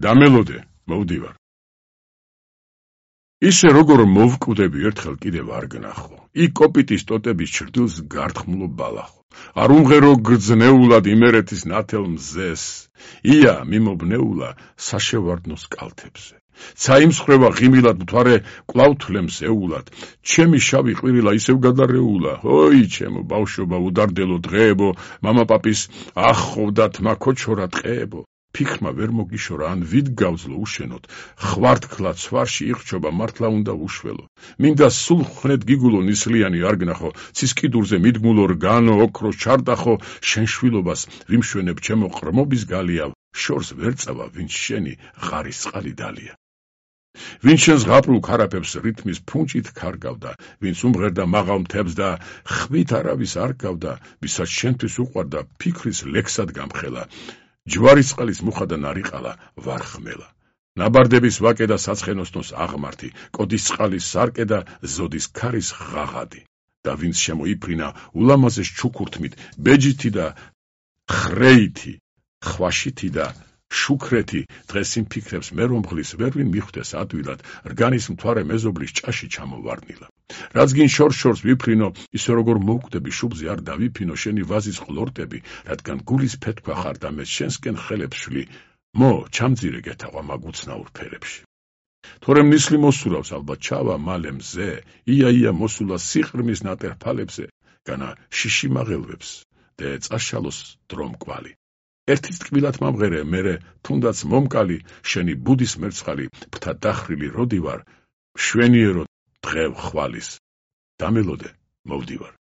დამელოდე, მოვდივარ. ისე როგორ მოვკვდები ერთხელ კიდევ არ გნახო. იქ კოპიტის ტოტების ჩრდილს გართმულო ბალახო. არ უმღერო გრძნეულად იმერეთის ნათელ მზეს. ია მიმობნეულა საშევარდნოს კალთებზე. ცაიმსხრევა ღიმილად მთვარე კვლავ თლემს ეულად. ჩემი შავი ყვირილა ისევ გადარეულა. ой, ჩემო ბავშვობა უდარდელო დღეებო, მამა პაპის ახხოვდა თმა ქოჩორა ტყეებო. ფიქრმა ვერ მოგიშორა ან ვით გავძლო უშენოდ. ხვართქლა ცვარში იხრჩობა მართლა უნდა უშველო. მინდა სულ ხრედ გიგულო ნისლიანი არ გნახო. ცის კიდურზე მიდგმულო რგანო ოქრო ჩარდახო. შენ შვილობას ვიმშვენებ ჩემო ყრმობის გალია. შორს ვერ წავა ვინც შენი ღარის წყალი დალია. ვინც შენს ღაპრულ ქარაფებს რითმის ფუნჭით ქარგავდა, ვინც უმღერდა მაღალ მთებს და ხვით არავის არ გავდა, ვისაც შენთვის უყვარდა ფიქრის ლექსად გამხელა. ჯვარის წყლის მუხა და ნარიყალა ვარ ხმელა. ნაბარდების ვაკე და საცხენოსნოს აღმართი, კოდის წყალის სარკე და ზოდის ქარის ღაღადი. და ვინც შემოიფრინა ულამაზეს ჩუქურთმით, ბეჯითი და ხრეითი, ხვაშითი და შუქრეთი, დღეს იმ ფიქრებს მე რომ ღლის ვერვინ მიხვდეს ადვილად, რგანის მთვარე მეზობლის ჭაში ჩამოვარდნილა. რაც გინ შორს ვიფრინო, ისე როგორ მოვკვდები შუბზე არ დავიფინო შენი ვაზის ყლორტები, რადგან გულის ფეთქვა ხარ და მე შენსკენ ხელებს შვლი, მო ჩამძირე გეთაყვა მაგ უცნაურ ფერებში. თორემ ნისლი მოსურავს ალბათ ჩავა მალე მზე, ია მოსულა სიყრმის ნატერ ფალებზე, განა შიში მაღელვებს და წაშალოს დრომ კვალი. ერთის ტკბილად მომღერე, მერე თუნდაც მომკალი, შენი ბუდის მერცხალი, ფრთა დახრილი როდი ვარ, მშვენიერო დღევ ხვალის. დამელოდე, მოვდივარ.